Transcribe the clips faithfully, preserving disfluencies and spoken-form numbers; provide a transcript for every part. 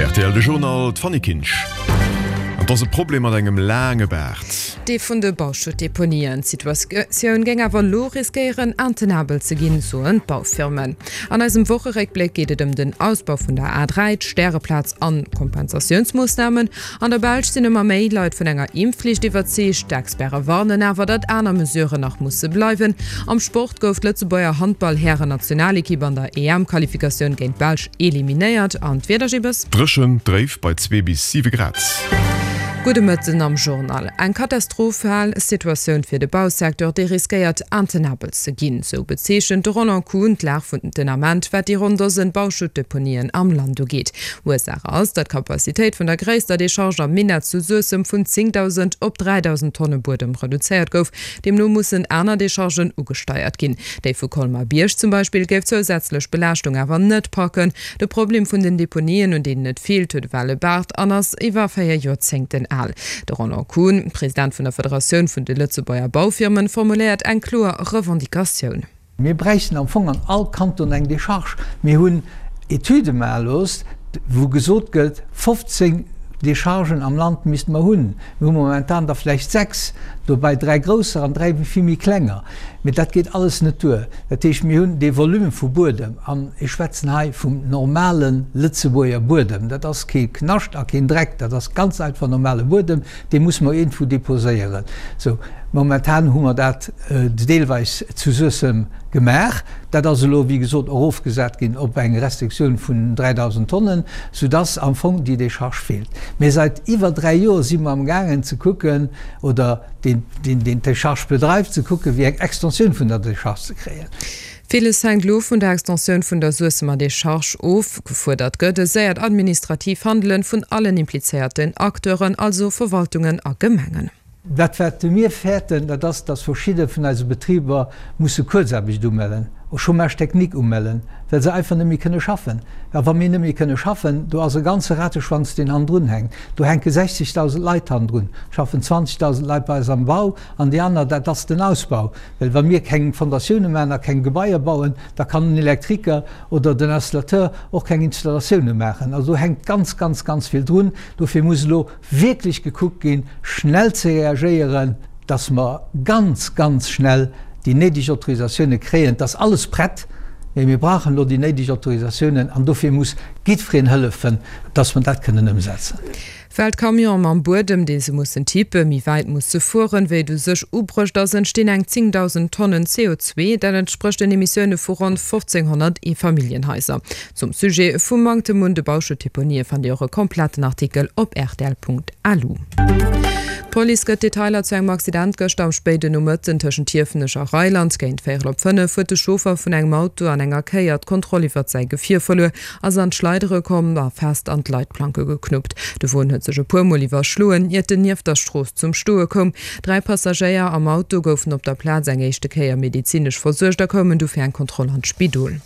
Rtl de Journal, d'Fanny Kinsch. An 't ass e Problem mat engem laange Baart. Dee vun de Bauschuttdeponien. D'Situatioun géing awer elo riskéieren, intenabel ze ginn, soen d'Baufirmen. An eisem Wocheréckbléck geet et ëm den Ausbau vun der A dräi, d'Stäreplaz an Kompensatiounsmoossnamen. An der Belsch sinn ëmmer méi Leit vun enger Impfflicht iwwerzeegt. D'Experte warnen awer, datt aner Mesuren nach musse bleiwen. Am Sport gouf d'Lëtzebuerger Handball-Hären-Nationalekipp an der E M-Qualifikatioun géint d'Belsch eliminéiert. An d'Wieder, Gibbes? Dréchen, dréif bei zwee bis siwe Grad. Gudde Mëtten am Journal. Eng katastrophal Situatioun fir de Bausecteur, dee riskéiert intenabel ze ginn. Sou bezeechent de Roland Kuhn d'Lag vun den Ament, wat déi ronn Dosen Bauschuttdeponien am Land ugeet. Ursaach ass, datt d'Capacitéit vun der gréisster Decharge am Minett zu Suessem vun zéngdausend op dräidausend Tonne Buedem reduzéiert gouf. Deemno mussen aner Dechargen ugesteiert ginn. Déi vu Colmar-Bierg zum Beispill géif d'zousätzlech Belaaschtung awer net packen. De Problem vun den Deponien, un deenen et feelt, huet ewell e Baart an ass iwwer véier Joerzéngten al. De Roland Kuhn, President vun der Federatioun vun de Lëtzebuerger Baufirmen, formuléiert eng kloer Revendicatioun. Mir bräichten am Fong an all Kanton eng Decharge. Mir hunn Etüde maache looss, wou gesot gëtt, fofzéng Dechargen am Land misste mer hunn. Mir hu momentan der vläicht sechs, dobäi dräi grousser an dräi vill méi klenger. Mee dat geet alles net duer. Dat heescht, mir hunn dee Volume vu Buedem, an ech schwätzen hei vum normale Lëtzebuerger Buedem, dat ass kee Knascht a keen Dreck, dat ass ganz einfach normale Buedem, dee musse mer iergendwou deposéieren. Sou, momentan hu mer dat deelweis zu Suessem gemaach. Dat ass elo, wéi gesot, erofgesat ginn op eng Restriktioun vun dräidausend Tonnen, soudass am Fong déi Decharge feelt. Mee seit iwwer dräi Joer si mer amgaangen ze kucken, oder deen, deen d'Decharge bedreift, ze kucken, wéi eng Extensioun vun der Decharge ze kréien. Villes hänkt elo vun der Extensioun vun der Suessemer Decharge of. Gefuerdert gëtt e séiert administratiiv Handelen vun allen implizéierten Acteuren, also Verwaltungen a Gemengen. Dat wat mir fäerten, dat ass, dass verschidde vun eise Betriber musse Kuerzaarbecht umellen, Chômage technique umellen, well se einfach net méi kënne schaffen. A wa mir net méi kënne schaffen, do ass e ganze Rateschwanz, deen hannendrun hänkt. Do hänke sechzigtausend Leit hannendrun, schaffen zwanzigtausend Leit bei eis am Bau an déi aner, dat ass den Ausbau. Well wa mir keng Fondatioune maachen a keng Gebaier bauen, da kann den Elektriker oder den Installateur och keng Installatioune maachen. Also do hänkt ganz, ganz, ganz vill drun. Dofir muss elo wierklech gekuckt ginn, schnell ze reagéieren, dass mer ganz, ganz schnell déi néideg Autorisatioune kréien. Et ass alles prett, mee mir brauchen elo déi néideg Autorisatiounen an dofir muss jiddwereen hëllefen, dass mer dat kënnen ëmsetzen. Well d'Camionen mam Buedem, dee se mussen tippen, méi wäit musse fueren, wéi et u sech ubruecht ass, entstinn eng zéngdausend Tonnen C O zwee. Dat entsprécht den Emissioune vu ronn fofzénghonnert Eefamilljenhaiser. Zum Sujet vum Manktem un de Bauschuttdeponië fannt Dir och e kompletten Artikel op rtl Punkt lu. D'Police gëtt Detailer zu engem Accident gëschter am spéiden Nomëtten tëschent Hiefenech a Reiland. Géint véierel op fënnef huet de Chauffer vun engem Auto an enger Kéier d'Kontroll iwwert säi Gefier verluer, ass an d'Schleidere komm a fest an d'Leitplanke geknuppt. De Won huet sech e puer Mol iwwerschloen, iert en nieft der Strooss zum Stoe koum. Dräi Passagéier am Auto goufen op der Plaz eng éischte Kéier medezinesch versuergt a koumen du fir eng Kontroll an d'Spidol.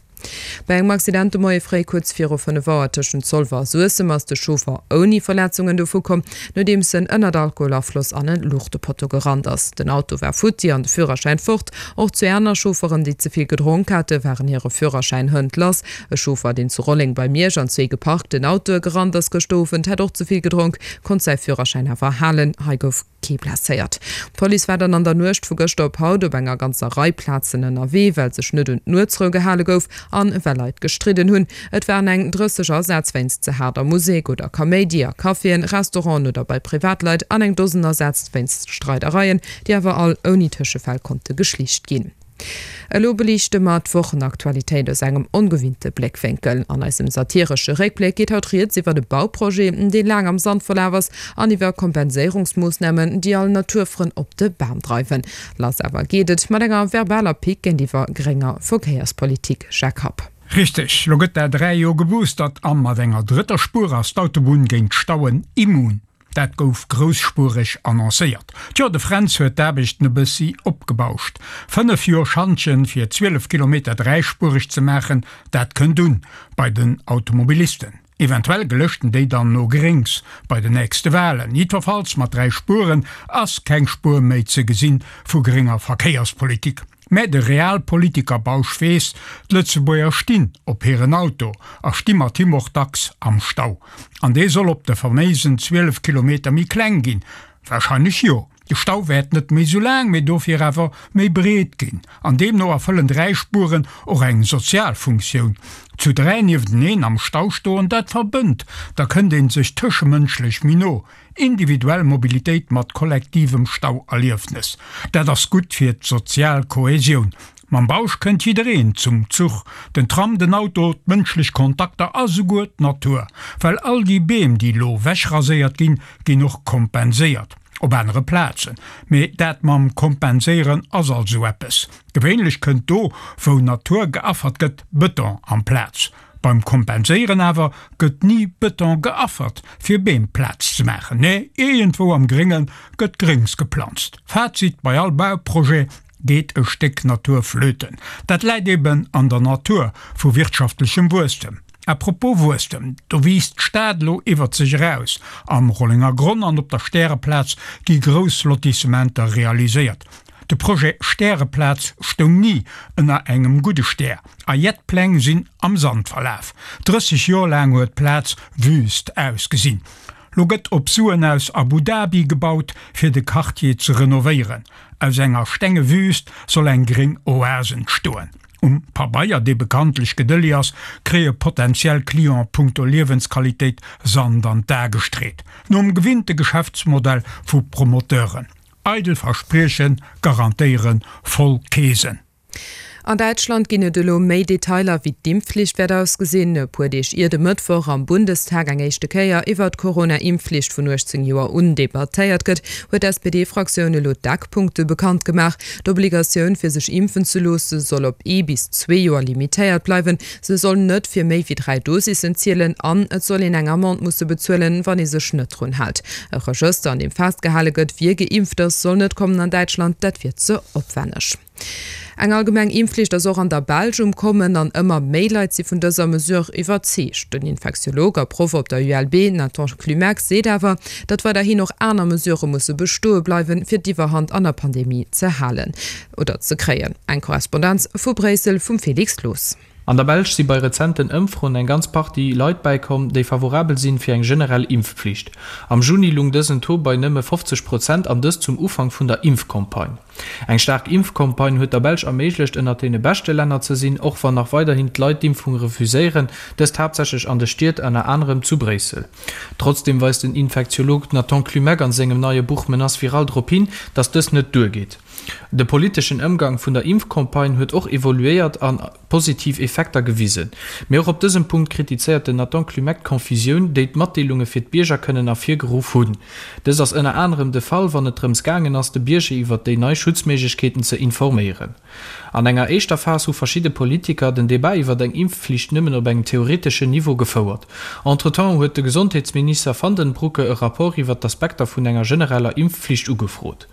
Bei engem Accident de Moie fréi kuerz viru fënnef Auer tëschent Zolwer a Suessem ass de Chauffer ouni Verletzungen dovu komm, nodeems en ënnert Alkoholafloss an e Luuchtepotto gerannt ass. Den Auto war futti an de Führerschäin fort. Och zwee aner Chaufferen, déi ze vill gedronk hate, waren hire Führerschäin hënt lass. E Chauffer, deen zu Rolleng bei Miersch an zwee geparkten Autoe gerannt ass gëschter Owend, hat och ze vill gedronk, konnt säi Führerschäin awer halen. Hei gouf kee blesséiert. D'Police war dann an der Nuecht vu gëschter op haut op enger ganzer Rei Plazen ënnerwee, well sech net un d'Nuetsrou gehale gouf an well Leit gestridden hunn. Et waren eng drësseg Asätz wéinst ze haarder Musek oder Kaméidi a Caféen, Restauranten oder bei Privatleit an eng Dosen Asätz wéinst Streidereien, déi awer all ouni Tëschefäll konnte geschlicht ginn. Elo beliichte mer d'Wochenaktualitéit aus engem ongewinnte Bléckwénkel. An eisem satiresche Réckbléck geet haut rieds iwwer e Bauprojet, dee laang am Sand verlaf ass, an iwwer Kompenséierungsmoossnamen, déi all Naturfrënn op de Bam dreiwen. Lass awer geet et mat enger verbaler Pick géintiwwer grénger Verkéierspolitik. Jacques Happ. Richteg, lo gëtt dat dräi Joer geboostert a mat enger drëtter Spuer ass d'Autobunn géint Stauen immun. Dat gouf grousspureg annoncéiert. Tjo, de Fränz huet d'Aarbechten e bëssi opgebauscht. Fënnef Joer Schantjen fir zwielef Kilometer dräispureg ze maachen, dat kënnt un bei den Automobilisten. Eventuell gelëschten déi dann no Gréngs bei den nächste Wahlen. Jiddwerfalls mat dräi Spueren ass keng Spuer méi ze gesinn vu grénger Verkéierspolitik. Mä de Realpolitiker Bausch weess, d'Lëtzebuerger stinn op hiren Auto a sti mat him och dacks am Stau. An dee soll op de faméisen zwielef Kilometer méi kleng ginn? Warscheinlech jo. De Stau wäert net méi sou laang, mee dofir awer méi breet ginn. An deemno erfëllen dräi Spueren och eng sozial Funktioun. Zu dräi niefteneen am Stau stoen, dat verbënnt, da kënnt ee sech tëschemënschlech méi no. Individuell Mobilitéit mat kollektivem Stauerliefnes, dat ass gutt fir d'sozial Kohäsioun. Mam Bausch kënnt jiddereen zum Zuch, den Tram, den Auto, d'mënschlech Kontakter a souguer d'Natur. Well all déi Beem, déi elo wechraséiert ginn, ginn och kompenséiert op anere Plazen. Mee dat mam Kompenséieren ass alt esou eppes. Gewéinlech kënnt do, wou Natur geaffert gëtt, Bëton amplaz. Beim Kompenséieren awer gëtt ni Bëton geaffert, fir Beem Plaz ze maachen. Nee, iergendwou am Grénge gëtt Gréngs geplanzt. Fazit, Bei all Bauprojet geet e Stéck Natur flöten. Dat läit eben an der Natur vu wirtschaftlechem Wuesstem. À propos Wuesstem, do wiisst d'Stad elo iwwert sech eraus. Am Rollengergronn an op der Stäreplaz gi grouss Lotissementer realiséiert. De Projet Stäreplaz stoung ni ënner engem gudde Stär a jett Pläng sinn am Sand verlaf. Drësseg Joer laang huet d'Plaz wüst ausgesinn. Lo gëtt op Suen aus Abu Dhabi gebaut, fir de Quartier ze renovéieren. Aus enger stenge Wüst soll eng gréng Oase entstoen. Um Pabeier, dee bekanntlech gedëlli ass, kréie potentiell Clienten punkto Liewensqualitéit Sand an d'Ae gestreet. Nom gewinnte Geschäftsmodell vu Promoteuren. Eidel Versprieche garantéiere voll Keesen. An Däitschland ginn et elo méi Detailer, wéi d'Impfflicht wäert ausgesinn. E puer Deeg ier de Mëttwoch am Bundestag eng éischte Kéier iwwert d'Corona-Impfflicht vun uechtzéng Joer un debattéiert gëtt, huet d'S P D-Fraktioun elo d'Eckpunkte bekannt gemaach. D'Obligatioun, fir sech impfen ze loosse, soll op ee bis zwee Joer limitéiert bleiwen. Se soll net fir méi wéi dräi Dosissen zielen an et soll een eng Amende musse bezuelen, wann ee sech net drun hält. E Regëster, an deem festgehale gëtt, wie geimpft ass, soll net kommen an Däitschland, dat wier ze opwänneg. Eng allgemeng Impfflicht ass och an der Belsch um Kommen an ëmmer méi Leit si vun dëser Mesure iwwerzeegt. Den Infektiolog a Proff op der U L B Nathan Clumeck seet awer, datt weiderhin och aner Mesurë musse bestoe bleiwen, fir d'Iwwerhand an der Pandemie ze halen oder ze kréien. Eng Korrespondenz vu Bréissel vum Felix Loos. An der Belsch si bei rezenten Ëmfroen eng ganz Partie Leit bäikomm, déi favorabel sinn fir eng generell Impfpflicht. Am Juni lung dësen Taux bei nëmme fofzeg Prozent an dëst zum Ufank vun der Impfcampagne. Eng staark Impfcampagne huet der Belsch erméiglecht ënnert deene beschte Länner ze sinn, och wann nach weiderhin d'Leit d'Impfung refuséieren, dëst haaptsächlech an de Stied, ënner anerem zu Bréissel. Trotzdeem weist den Infektiolog Nathan Clumeck an sengem neie Buch Menace virale drop hin, datt dëst net duergeet. De politeschen Ëmgang vun der Impfcampagne huet och evoluéiert an positiv Effekter gewisen. Mee och op dësem Punkt kritizéiert den Nathan Clumeck d'Confusioun, déi d'Matdeelunge fir d'Bierger kënnen ervirgeruff hunn. Dëst ass ënner anerem de Fall, wann et drëms gaangen ass, de Bierger iwwert déi nei Schutzméiglechkeeten ze informéieren. An enger éischter Phas hu verschidde Politiker den Debat iwwert eng Impfflicht nëmmen op engem theoreteschen Niveau gefouert. Entretemps huet de Gesondheetsminister Vandenbroucke e Rapport iwwert d'Aspekter vun enger genereller Impfflicht ugefrot.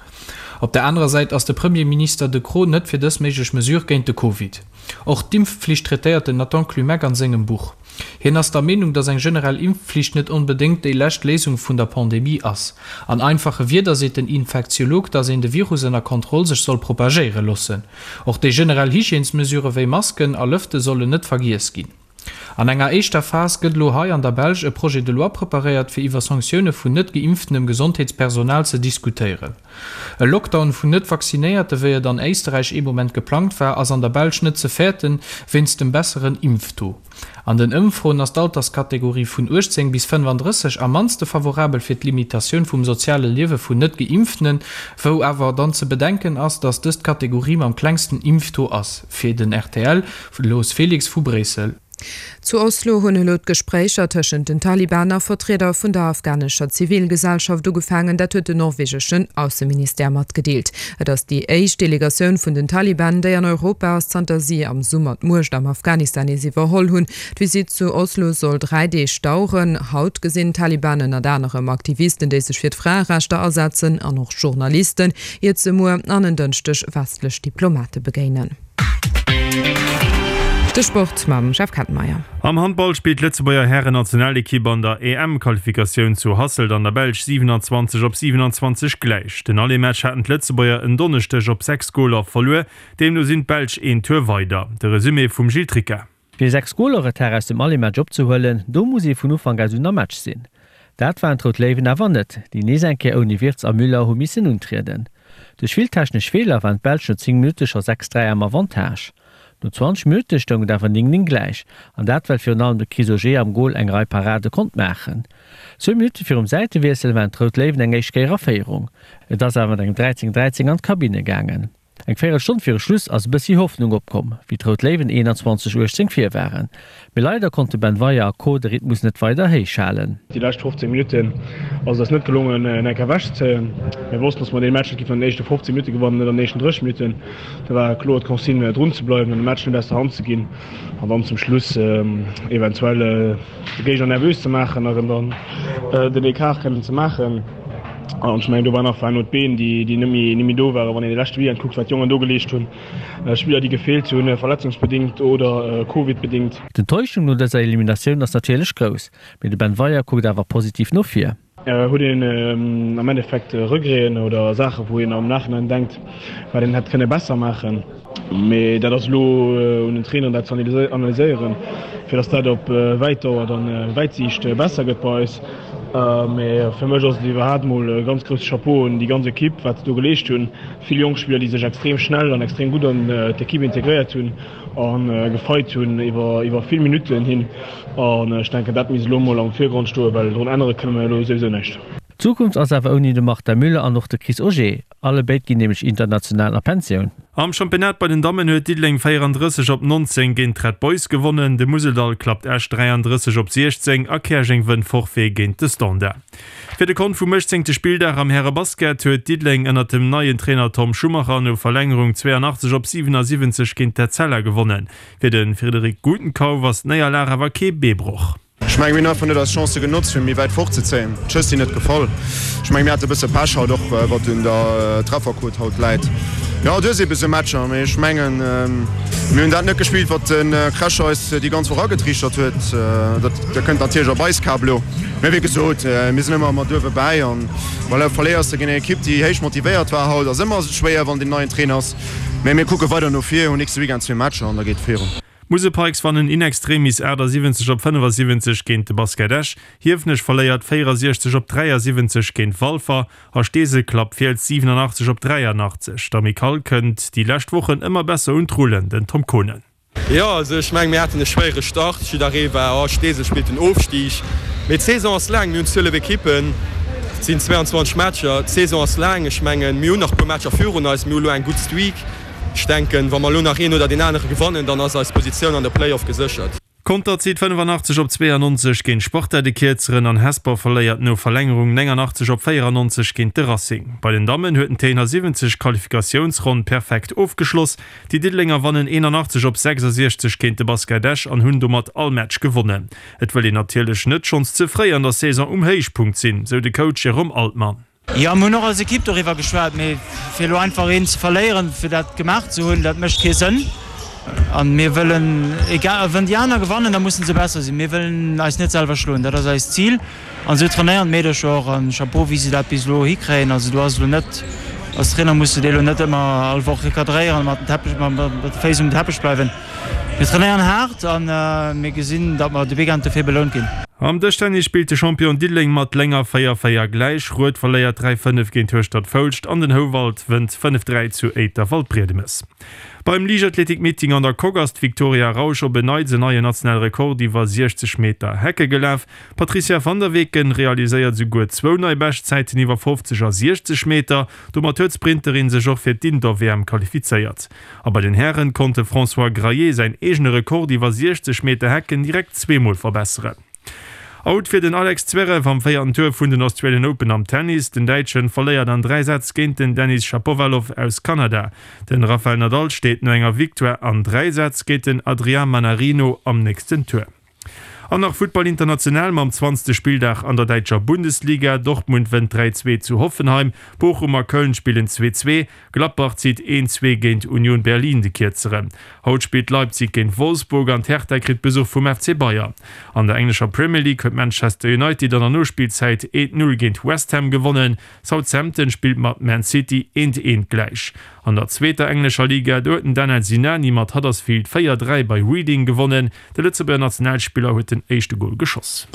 Op der anerer Säit ass de Premierminister De Croo net fir dës méiglech Mesure géint de Covid. Och d'Impfflicht traitéiert den Nathan Clumeck an sengem Buch. Hien ass der Meenung, datt eng generell Impfflicht net onbedéngt déi lescht Léisung vun der Pandemie ass. An einfache Wierder seet den Infektiolog, datt een de Virus ënner Kontroll sech soll propagéiere loossen. Och déi generell Hygiènesmesurë wéi Masken a Lëfte sollen net vergiess ginn. An enger éischter Phas gëtt elo hei an der Belsch e Projet de loi preparéiert, fir iwwer Sanktioune vun net geimpftenem Gesondheetspersonal ze diskutéieren. E Lockdown vun net Vaccinéierte, wéi et an Éisterräich ee Moment geplangt war, ass an der Belsch net ze fäerten, wéinst dem besseren Impftaux. An den Ëmfroen ass d'Alterskategorie vun uechtzéng bis fënnefandrësseg am mannste favorabel fir d'Limitatioun vum soziale Liewe vun net Geimpftenen, wou awer dann ze bedenken ass, datt dës d'Kategorie mam klengsten Impftaux ass. Fir den rtl Loos Felix vu Bréissel. Zu Oslo hunn elo d'Gespréicher tëschent den Taliban a Vertrieder vun der afghanescher Zivilgesellschaft ugefaangen, dat huet den norwegeschen Ausseministère matgedeelt. Et ass déi éischt Delegatioun vun den Taliban, déi an Europa ass, zanter si am Summer d'Muecht am Afghanistan nees iwwerholl hunn. D'Visitt zu Oslo soll dräi Deeg daueren. Haut gesinn d'Taliban ënnert anerem Aktivisten, déi sech fir d'Fraerechter asetzen, an och Journalisten, iert se muer an en Dënschdeg westlech Diplomate begéinen. De Sport mam Jeff Kettenmeyer. Am Handball spillt d'Lëtzebuerger Hären-Nationalekipp an der E M Qualifikatioun zu Hasselt an der Belsch siewenanzwanzeg op siewenanzwanzeg gläich. Den Aller-Match haten d'Lëtzebuerger en Donneschdeg op sechs Goler verluer, deemno sinn d'Belsch een Tour weider. De Resumé vum Gilles Tricca. Fir sechs Goler Retard aus dem Aller-Match opzehuelen, do muss ee vun Ufank un am Match sinn. Dat waren d'Rout Léiwen awer net, déi nees eng Kéier ouni Wirtz a Müller hu missen untrieden. Duerch vill technesch Feeler waren d'Belsch no zéng Minutte scho sechs dräi am Avantage. No zwanzeg Minutte stoung et awer néng néng gläich, an dat well virun allem de Chris Auger am Gol eng Rei Parade konnt maachen. Zwou Minutte virum Säitewiessel waren d'Rout Léiwen eng éischt Kéier a Féierung. Et ass awer mat engem dräizéng dräizéng an d'Kabinne gaangen. Eng Véierelstonn viru Schluss ass e bëssi Hoffnung opkomm, wéi d'Rout Léiwen eenanzwanzeg uechtzéng vir waren. Mee leider konnte Ben Weyer a Co. De Rhythmus net weider héich halen. Déi lescht fofzéng Minutten ass et eis net gelongen, en Enk ewechzezéien. Mir wossten, dass mer dee Match net géifen an den éischte fofzéng Minutte gewannen, net an den éischten drësseg Minutten. Da war kloer d'Consigne, drun ze bleiwen an de Match net aus der Hand ze ginn an dann zum Schluss eventuell de Géigner nervös ze maachen a erëm dann den Ecart kënnen ze maachen. An ech mengen, do war nach war no d'Been, déi déi net méi net méi do waren. Wann een de leschte Weekend kuckt, wat d'Jongen do geleescht hunn, Spiller, déi gefeelt hunn, verletzungsbedéngt oder covidbedéngt. D'Enttäuschung no dëser Eliminatioun ass natierlech grouss, mee de Ben Weyer kuckt awer positiv no vir. Huet een am Endeffekt Regreten oder Saachen, wou een am Nachhinein denkt, wat een hätt kënne besser maachen? Mee dat ass elo un den Traineren, dat ze analyséieren, fir datt dat op wäit Dauer dann, wäit Siicht besser gëtt bei eis. Mee fir mech ass et iwwerhaapt mol e ganz grousse Chapeau un déi ganz Ekipp, wat se do geleescht hunn. Vill jonk Spiller, déi sech extrem schnell an extrem gutt an d'Ekipp integréiert hunn a gefeit hunn iwwer iwwer vill Minutten hin. An ech denken, dat misst elo mol am Virgrond stoen, well drun ännere kënne mer elo souwisou näischt. D'Zukunft ass awer ouni de Martin Müller an och de Chris Auger. Alle béid ginn nämlech international a Pensioun. Am Championnat bei den Dammen huet Diddeleng véierandrësseg op nonzéng géint d'Red Boys gewonnen. De Museldall klappt Esch dräiandrësseg op siechzéng a Käerjeng wënnt Forfait géint de Standard. Fir de Kont vum uechtzéngte Spilldag am Härebasket huet Diddeleng ënnert dem neien Trainer Tom Schumacher no Verlängerung zweeanachtzeg op siwenasiwwenzeg géint d'Etzella gewonnen. Fir de Frédéric Gutenkauf ass d'Néierlag awer kee Beebroch. Ech mengen, mir hunn einfach net eis Chancë genotzt, fir méi wäit fortzezéien. D'Schëss sinn net gefall. Ech mengen, mir hate e bësse Pech haut, och wat un der Trefferquot haut läit. Jo, du hues eebe sou Matcher, mee ech mengen, mir hunn dat net gespillt, wat de Crash eis déi ganz Woch agetriichtert huet. Dat kënnt natierlech op eis Kap elo. Mee wéi gesot, mir sinn ëmmer mat uewe bäi an voilà, verléiers de géint eng Ekipp, déi héich motivéiert war haut. Ass ëmmer schwéier, wann deen neien Trainer ass. Mee mir kucke weider no vir, hunn nächste Weekend zwee Matcher an da geet et virun. D'Musel Pikes wannen in extremis achtasiwwenzeg op fënnefasiwwenzeg géint de Basket Esch, Hiefenech verléiert véierasiechzeg op dräiasiwwenzeg géint Walfer a Steesel klappt Fiels siwenanachtzeg op dräianachtzeg. D'Amicale kënnt déi lescht Wochen ëmmer besser un d'Rullen, den Tom Konen. Jo, also ech mengen, mir haten e schwéiere Start. Jidderee war, oh, Steesel spillt den Ofstig. Mee d'Saison ass laang, mir hunn zwielef Ekippen, et sinn zweeanzwanzeg Matcher. D'Saison ass laang, ech mengen, mir hunn nach e puer Matcher virun eis, mir hu lo eng gutt Streak. Ech denken, wa mer elo nach een oder deen anere gewannen, dann ass eis Positioun an de Play-off geséchert. Conter zitt fënnefannachtzeg op zweeannonzeg géint Sparta de Kierzeren an Hesper verléiert no Verlängerung néngannachtzeg op véierannonzeg géint de Racing. Bei den Dammen huet den Téiner siwwenzeg d'Qualifikatiounsronn perfekt ofgeschloss. Déi Diddelenger wannen eenannachtzeg op sechsasiechzeg géint de Basket Esch an hunn domat all Match gewonnen. Et wëll een natierlech net schonns ze fréi an der Saison um Héichpunkt sinn, sou de Coach Jérôme Altmann. Jo, mir hunn och als Ekipp doriwwer geschwat, mee fir elo einfach een ze verléieren, fir dat gemaach ze hunn, dat mécht kee Sënn. A mir wëllen, egal, wann déi aner gewannen, da musse se besser sinn. Mir wëllen eis net selwer schloen, dat ass eist Zil. An esou trainéieren d'Meedercher och. A Chapeau, wéi se dat bis elo hikréien. Also do ass elo net, als Trainer muss de déi elo net ëmmer all Woch recadréieren a mat den Teppech, mat de Féiss um Teppech bleiwen. Mir trainéieren haart a mir gesinn, datt mer de Weekend dofir belount ginn. Am Dëschtennis spillt de Champion Diddeleng mat Lénger véier véier gläich, Rued verléiert dräi fënnef géint Hueschtert-Foulscht an den Houwald wënnt fënnef dräi zu Éiter-Waldbriedemes. Beim Liichtathletik-Meeting an der Coque ass d'Victoria Rausch op en Neits en neien nationale Rekord iwwer siechzeg Meter Hecke gelaf. D'Patricia van der Weken realiséiert esouguer zwou nei Beschtzäiten iwwer fofzeg a siechzeg Meter. Domat huet d'Sprinterin sech och fir d'Indoor-W M qualifizéiert. A bei den Hären konnt de François Graillet säin eegene Rekord iwwer siechzeg Meter Hecken direkt zweemol verbesseren. Out fir den Alex Zverev am véierten Tour vun den Australian Open am Tennis. Den Däitschen verléiert an dräi Sätz géint den Denis Shapovalov aus Kanada. Den Rafael Nadal steet no enger Victoire an dräi Sätz géint den Adrian Mannarino am nächsten Tour. An nach Futtball international mam zwanzegste Spilldag an der däitscher Bundesliga, Dortmund wënnt dräi zwee zu Hoffenheim, Bochum a Köln spillen zwee zwee, Gladbach zitt een zwee géint Union Berlin de Kierzeren. Haut spillt Leipzig géint Wolfsburg an d'Hertha kritt Besuch vum F C Bayern. An der englescher Premier League huet Manchester United an der Nospillzäit eent Null géint West Ham gewonnen, Southampton spillt mat Man City eent eent gläich. An der zweeter englescher Liga, do huet den Danel Sinani mat Huddersfield véier dräi bei Reading gewonnen. De Lëtzebuerger Nationalspiller huet den éischte Gol geschoss.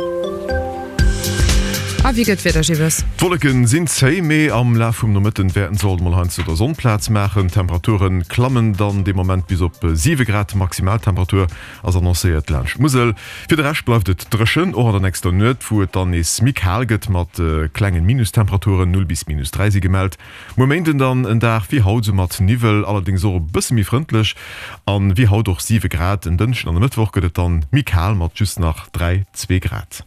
A wéi gëtt d'Wieder, Gilles? D'Wolleken sinn zéi, mee am Laf vum Nomëtten wäerten se alt mol heiansdo der Sonn Plaz maachen. D'Temperature klammen dann dee Moment bis op siwe Grad, d'Maximaltemperatur ass annoncéiert laanscht d'Musel. Fir de Rescht bleift et dréchen, och an der nächster Nuet, wou et dann nees méi kal gëtt mat klengen Minustemperaturen, null bis minus dräi si gemellt. Muer Méinden dann en Dag wéi haut, sou mat Niwwel, allerdéngs och e bësse méi frëndlech an wéi haut och siwe Grad. En Dënschden an e Mëttwoch gëtt et dann méi kal mat just nach dräi, zwee Grad.